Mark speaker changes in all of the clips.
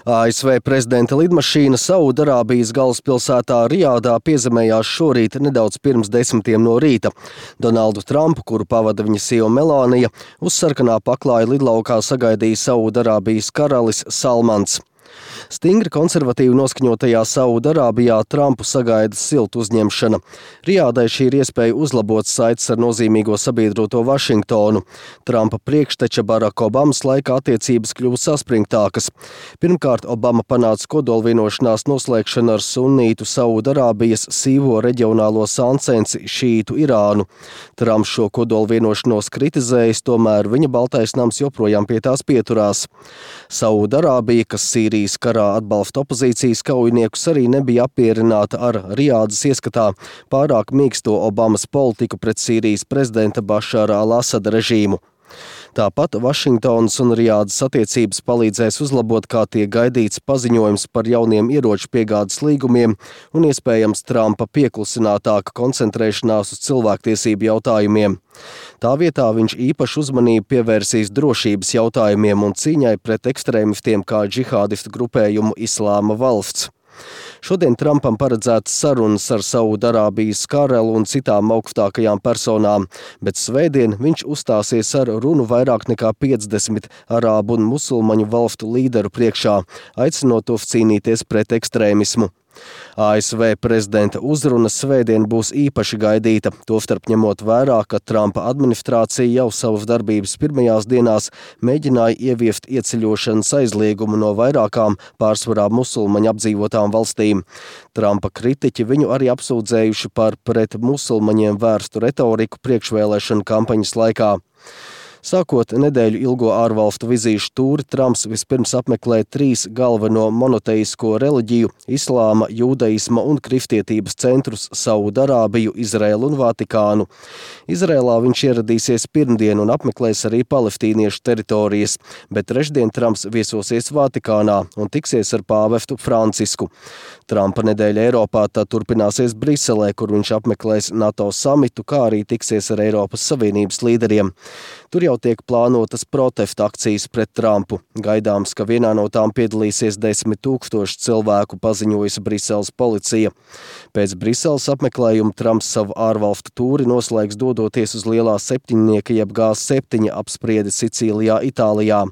Speaker 1: ASV prezidenta lidmašīna Saudarābijas galvaspilsētā Rijādā piezemējās šorīt nedaudz pirms 10 no rīta. Donaldu Trumpu, kuru pavada viņa sieva Melānija, uz sarkanā paklāja lidlaukā sagaidīja Saudarābijas karalis Salmans. Stingri konservatīvi noskaņotajā Saudarābijā Trumpu sagaida siltu uzņemšana. Rijādai šī ir iespēja uzlabot saites ar nozīmīgo sabiedroto Vašingtonu. Trumpa priekšteča Baraka Obamas laikā attiecības kļuva saspringtākas. Pirmkārt, Obama panāca kodolvienošanās noslēgšanu ar sunnītu Saudarābijas sīvo reģionālo sāncensi šītu Irānu. Trumps šo kodolvienošanos kritizējis, tomēr viņa Baltais nams joprojām pie tās pieturās. Saudarābija, kas Sīrijas karā atbalsta opozīcijas kaujiniekus, arī nebija apmierināta ar Rijādas ieskatā pārāk mīksto Obamas politiku pret Sīrijas prezidenta Bašara al-Asada režīmu. Tāpat Vašingtonas un Rijādas attiecības palīdzēs uzlabot, kā tiek gaidīts paziņojums par jauniem ieroču piegādes līgumiem un iespējams Trumpa pieklusinātāka koncentrēšanās uz cilvēktiesību jautājumiem. Tā vietā viņš īpašu uzmanību pievērsīs drošības jautājumiem un cīņai pret ekstrēmistiem kā džihādistu grupējumu Islāma valsts. Šodien Trumpam paredzētas sarunas ar Saudarābijas karali un citām augstākajām personām, bet svētdien viņš uzstāsies ar runu vairāk nekā 50 arābu un musulmaņu valstu līderu priekšā, aicinot tos cīnīties pret ekstrēmismu. ASV prezidenta uzruna svētdien būs īpaši gaidīta, tostarp ņemot vērā, ka Trumpa administrācija jau savas darbības pirmajās dienās mēģināja ieviest ieceļošanas aizliegumu no vairākām pārsvarā musulmaņu apdzīvotām valstīm. Trumpa kritiķi viņu arī apsūdzējuši par pret musulmaņiem vērstu retoriku priekšvēlēšanu kampaņas laikā. Sākot nedēļu ilgo ārvalstu vizīšu tūri, Trumps vispirms apmeklē 3 galveno monoteisko reliģiju – islāma, jūdaisma un kristietības centrus – Saudarābiju, Izraēlu un Vatikānu. Izraēlā viņš ieradīsies pirmdien un apmeklēs arī palestīniešu teritorijas, bet trešdien Trumps viesosies Vatikānā un tiksies ar pāvestu Francisku. Trumpa nedēļa Eiropā tad turpināsies Briselē, kur viņš apmeklēs NATO samitu, kā arī tiksies ar Eiropas Savienības līderiem. Tur jau tiek plānotas protesta akcijas pret Trumpu. Gaidāms, ka vienā no tām piedalīsies 10 000 cilvēku, paziņojusi Briseles policija. Pēc Briseles apmeklējuma Trumps savu ārvalstu tūri noslēgs dodoties uz lielā septiņnieka jeb G7 apspriedi Sicīlijā, Itālijā.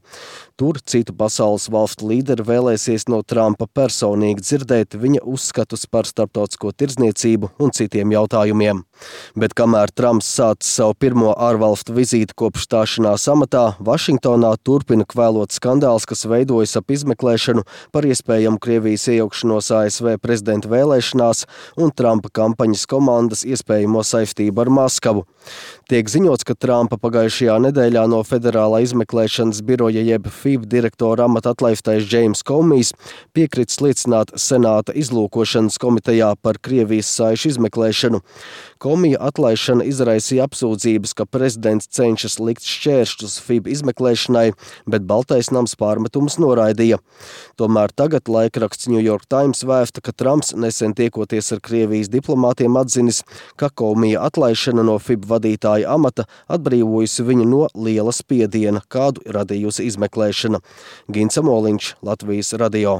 Speaker 1: Tur citu pasaules valstu līderi vēlēsies no Trumpa personīgi dzirdēt viņa uzskatus par starptautisko tirdzniecību un citiem jautājumiem. Bet kamēr Trumps sācis savu pirmo ārvalstu vizīti kopš stāšanās amatā, Vašingtonā turpina kvēlot skandāls, kas veidojas ap izmeklēšanu par iespējamu Krievijas iejaukšanos ASV prezidenta vēlēšanās un Trumpa kampaņas komandas iespējamo saistību ar Maskavu. Tiek ziņots, ka Trumpa pagājušajā nedēļā no federālā izmeklēšanas biroja jeb FIB direktora amata atlaistais James Comijs piekritis liecināt Senāta izlūkošanas komitejā par Krievijas saišu izmeklēšanu. Komija atlaišana izraisīja apsūdzības, ka prezidents cenšas likt šķēršļus FIB izmeklēšanai, bet Baltais nams pārmetumus noraidīja. Tomēr tagad laikraksts New York Times vēsta, ka Trumps nesen tiekoties ar Krievijas diplomātiem atzinis, ka Komija atlaišana no FIB vadītāja amata atbrīvojusi viņu no liela spiediena, kādu radījusi izmeklēšana. Gins Amoliņš, Latvijas radio.